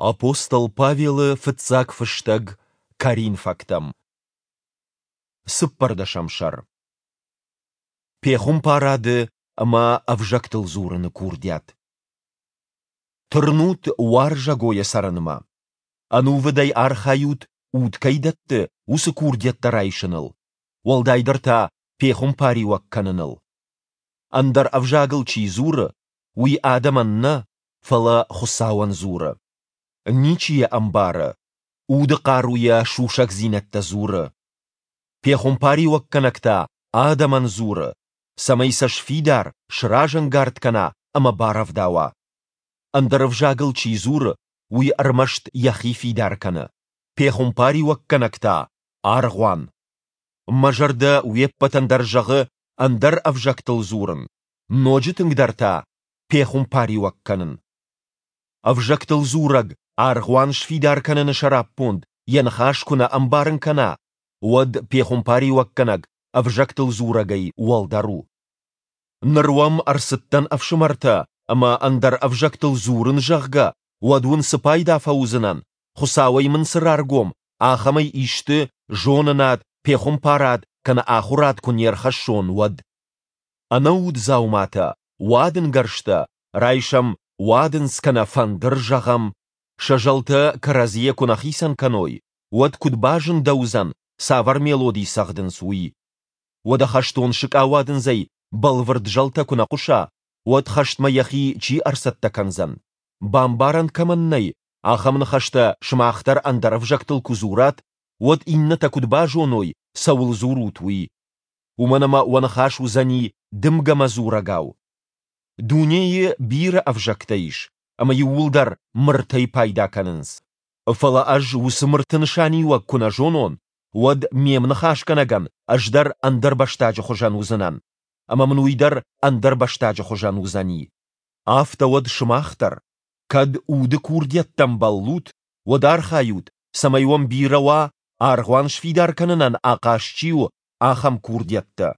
Апостол Павелы фыццаг фыстӕг Коринфӕгтӕм. Цыппӕрдӕсӕм сӕр. Пехуымпарады ӕмӕ ӕвзӕгтыл дзурыны курдиат. Тырнут уарзӕгойӕ цӕрынмӕ. Ӕнувыдӕй архайут, уд кӕй дӕтты, уыцы курдиӕттӕ райсыныл, уӕлдайдӕр та пехуымпариуӕг кӕныныл. Ӕндӕр ӕвзагыл чи дзуры, уый адӕмӕн нӕ, фӕлӕ Хуыцауӕн дзуры. Ничи йӕ ӕмбары, уды хъаруйӕ сусӕгдзинӕдтӕ дзуры. Пехуымпариуӕггӕнӕг та адӕмӕн дзуры, цӕмӕй сӕ сфидар, сразӕнгард кӕна ӕмӕ барӕвдауа. Ӕндӕр ӕвзагыл чи дзуры, уый ӕрмӕст йӕхи фидар кӕны, пехуымпариуӕггӕнӕг та – аргъуан. Мӕ зӕрдӕ уе ппӕтӕн дӕр зӕгъы ӕндӕр ӕвзӕгтыл дзурын, ноджы тынгдӕр та пехуымпариуӕг кӕнын. Ӕвзӕгтыл дзурӕг аргъуан сфидар кӕныны сӕраппонд йӕ ныхас куы нӕ ӕмбарын кӕна, уӕд пехуымпариуӕггӕнӕг ӕвзӕгтыл дзурӕгӕй уӕлдӕр у. Ныр уӕм ӕрцыдтӕн ӕфсымӕртӕ ӕмӕ ӕндӕр ӕвзӕгтыл дзурын, зӕгъгӕ, уӕд уын цы пайда фӕуыдзынӕн, Хуыцауӕй мын цы раргом, ахӕмӕй исты зонынад, пехуымпарад кӕнӕ ахуырад куы не рхӕссон, уӕд? Ӕнӕуд дзауматӕ, уадынгӕрзтӕ, райсӕм уадындз кӕнӕ фӕндыр, зӕгъӕм, сӕ зӕлтӕ кӕрӕдзийӕ куы нӕ хицӕн кӕной, уӕд куыд базындӕуыдзӕн, цавӕр мелоди цӕгъдынц, уый? Уӕдӕ хӕстон сыкъауадындзӕй бӕлвырд зӕлтӕ куы нӕ хъуыса, уӕд хӕстмӕ йӕхи чи ӕрцӕттӕ кӕндзӕн? Бамбарӕн кӕмӕн нӕй, ахӕм ныхӕстӕ сымах дӕр ӕндӕр ӕвзӕгтыл куы дзурат, уӕд иннӕтӕ куыд базоной, цӕуыл дзурут, уый? Уымӕн ӕмӕ уӕ ныхас уыдзӕни дымгӕмӕ дзурӕгау. Дунейы бирӕ ӕвзӕгтӕ ис, ӕмӕ иууылдӕр мыртӕй пайда кӕнынц. Фӕлӕ ӕз уыцы мырты нысаниуӕг куы нӕ зонон, уӕд ме мныхасгӕнӕгӕн ӕз дӕр ӕндӕрбӕстаджы хуызӕн уыдзынӕн, ӕмӕ мын уый дӕр ӕндӕрбӕстаджы хуызӕн уыдзӕни. Афтӕ уӕд сымах дӕр, кӕд уды курдиӕттӕм бӕллут, уӕд архайут, цӕмӕй уӕм бирӕ уа, аргъуан сфидар кӕнынӕн ахъаз чи у, ахӕм курдиӕттӕ.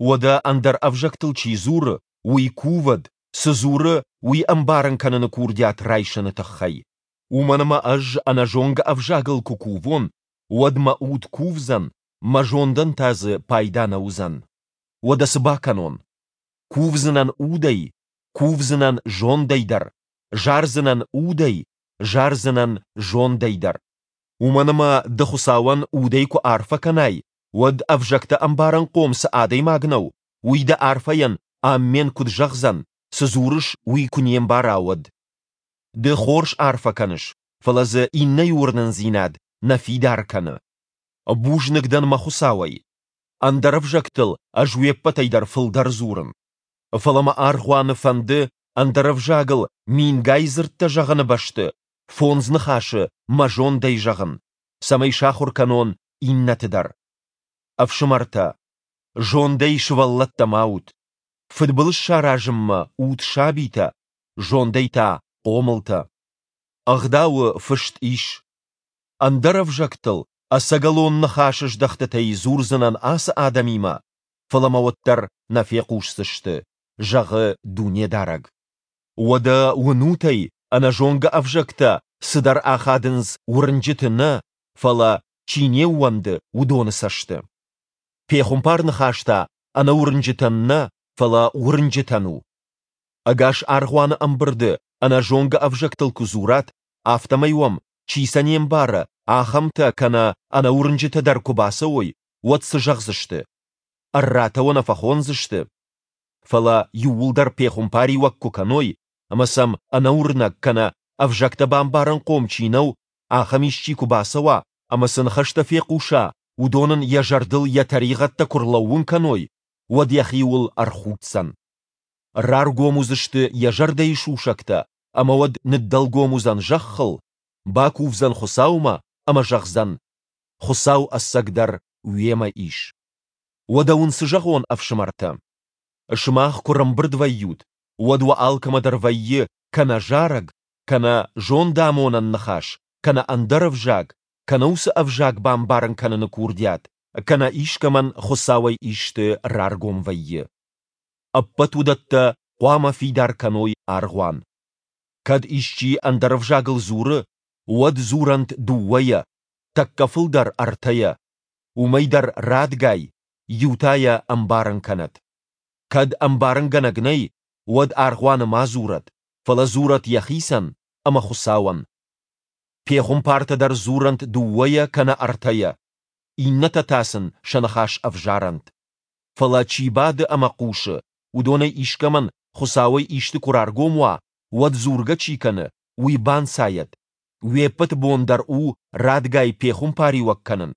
Уӕдӕ ӕндӕр ӕвзӕгтыл чи дзуры, уый кувӕд, цы дзуры, уый ӕмбарын кӕныны курдиат райсыны тыххӕй. Уымӕн ӕмӕ ӕз ӕнӕзонгӕ ӕвзагыл куы кувон, уӕд мӕ уд кувдзӕн, мӕ зондӕн та дзы пайда нӕ уыдзӕн. Уӕдӕ цы бакӕнон? Кувдзынӕн удӕй, кувдзынӕн зондӕй дӕр, зардзынӕн удӕй, зардзынӕн зондӕй дӕр. Уымӕн ӕмӕ ды Хуыцауӕн удӕй куы арфӕ кӕнай, уӕд ӕвзӕгтӕ ӕмбарынхъом цы адӕймаг нӕу, уый дӕ арфӕйӕн аммен куыд зӕгъдзӕн, цы дзурыс, уый куы не мбара, уӕд? Ды хорз арфӕ кӕныс, фӕлӕ дзы иннӕйы уырнындзинад нӕ фидар кӕны. Бузныг дӕн мӕ Хуыцауӕй. Ӕндӕр ӕвзӕгтыл ӕз уе ппӕтӕй дӕр фылдӕр дзурын. Фӕлӕ мӕ аргъуаны фӕнды ӕндӕр ӕвзагыл мингай дзырдтӕ зӕгъыны бӕсты фондз ныхасы мӕ зондӕй зӕгъын, цӕмӕй сахуыр кӕнон иннӕты дӕр. Ӕфсымӕртӕ, зондӕй сывӕллӕттӕ ма ут. Фыдбылыз саразынмӕ ут сабитӕ, зондӕй та хъомылтӕ. Ӕгъдауы фыст ис: Ӕндӕр ӕвзӕгтыл ӕцӕгӕлон ныхасыздӕхтытӕй дзурдзынӕн ацы адӕмимӕ, фӕлӕ мӕ уӕддӕр нӕ фехъусдзысты, зӕгъы Дунедарӕг. Уӕдӕ уынут ӕй, ӕнӕзонгӕ ӕвзӕгтӕ цыдӕр ахадынц уырнджыты нӕ, фӕлӕ, чи не ууӕнды, уыдоны цӕсты. Пехуымпар ныхас та ӕнӕуырнджытӕн нӕ, фӕлӕ уырнджытӕн у. Ӕгас аргъуаны ӕмбырды ӕнӕзонгӕ ӕвзӕгтыл куы дзурат, афтӕмӕй уӕм, чи сӕ не мбары, ахӕмтӕ кӕнӕ ӕнӕуырнджытӕ дӕр куы бацӕуой, уӕд цы зӕгъдзысты? Ӕрратӕ уӕ нӕ фӕхондзысты? Фӕлӕ иууылдӕр пехуымпариуӕг куы кӕной, ӕмӕ сӕм ӕнӕуырнӕг кӕнӕ ӕвзӕгтӕ бамбарынхъом чи нӕу, ахӕм исчи куы бацӕуа ӕмӕ цы ныхӕстӕ фехъуса, уыдон ын йӕ зӕрдыл йӕ тӕригъӕдтӕ куы рлӕууын кӕной, уӕд йӕхиуыл ӕрхуддзӕн. Раргом уыдзысты йӕ зӕрдӕйы сусӕгтӕ ӕмӕ уӕд ныддӕлгом уыдзӕн зӕххыл, бакувдзӕн Хуыцаумӕ ӕмӕ зӕгъдзӕн: Хуыцау ӕцӕгдӕр уемӕ ис. Уӕдӕ уын цы зӕгъон, ӕфсымӕртӕ? Сымах куы рӕмбырд вӕййут, уӕд уӕ алкӕмӕ дӕр вӕййы кӕнӕ зарӕг, кӕнӕ зондамонӕн ныхас, кӕнӕ ӕндӕр ӕвзаг, кӕнӕ уыцы ӕвзаг бамбарын кӕныны курдиат, кӕнӕ искӕмӕн Хуыцауӕй исты раргом вӕййы. Ӕппӕт уыдӕттӕ хъуамӕ фидар кӕной аргъуан. Кӕд исчи ӕндӕр ӕвзагыл дзуры, уӕд дзурӕнт дыууӕйӕ, тӕккӕ фылдӕр ӕртӕйӕ. Уымӕй дӕр радгай, иу та йӕ ӕмбарын кӕнӕд. Кӕд ӕмбарынгӕнӕг нӕй, уӕд аргъуаны ма дзурӕд, фӕлӕ дзурӕд йӕхицӕн ӕмӕ Хуыцауӕн. Пехуымпартӕ дӕр дзурӕнт дыууӕйӕ кӕнӕ ӕртӕйӕ, иннӕтӕ та сын сӕ ныхас ӕвзарӕнт. Фӕлӕ чи бады ӕмӕ хъусы, уыдонӕй искӕмӕн Хуыцауӕй исты куы раргом уа, уӕд дзургӕ чи кӕны, уый банцайӕд. Уе ппӕты бон дӕр у радгай пехуымпариуӕг кӕнын,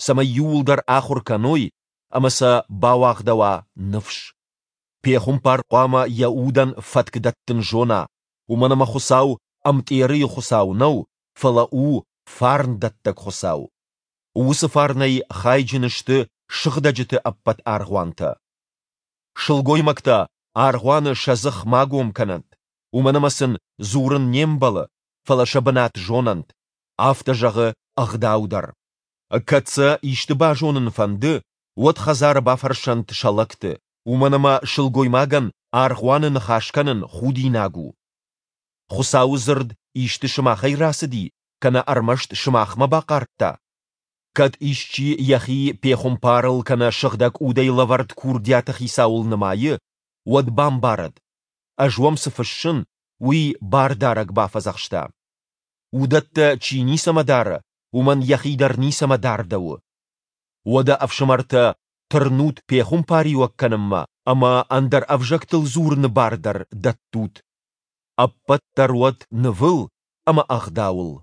цӕмӕй иууылдӕр ахуыр кӕной ӕмӕ сӕ бауагъдӕуа ныфс. Пехуымпар хъуамӕ йӕ удӕн фӕтк дӕттын зона, уымӕн ӕмӕ Хуыцау ӕмтъерыйы Хуыцау нӕу, фӕлӕ у фарндӕттӕг Хуыцау. Уыцы фарнӕй хайджын сты сыгъдӕджыты ӕппӕт аргъуантӕ. Сылгоймӕгтӕ аргъуаны сӕ дзых ма гом кӕнӕнт, уымӕн ӕмӕ сын дзурын не мбӕлы, фӕлӕ сӕ бынат зонӕнт, афтӕ зӕгъы Ӕгъдау дӕр. Кӕд сӕ исты базонын фӕнды, уӕд хӕдзары бафӕрсӕнт сӕ лӕгты, уымӕн ӕмӕ сылгоймагӕн аргъуаны ныхас кӕнын худинаг у. Хуыцауы дзырд исты сымахӕй рацыди кӕнӕ ӕрмӕст сымахмӕ бахъардта? Кӕд исчи йӕхи пехуымпарыл кӕнӕ сыгъдӕг удӕй лӕвӕрд курдиаты хицауыл нымайы, уӕд бамбарӕд, ӕз уӕм цы фыссын, уый Бардарӕг бафӕдзӕхста. Уыдӕттӕ чи ницӕмӕ дары, уымӕн йӕхи дӕр ницӕмӕ дардӕуы. Уӕдӕ, ӕфсымӕртӕ, тырнут пехуымпариуӕг кӕнынмӕ ӕмӕ ӕндӕр ӕвзӕгтыл дзурыны бар дӕр дӕттут. Ӕппӕт дӕр уӕд нывыл ӕмӕ ӕгъдауыл.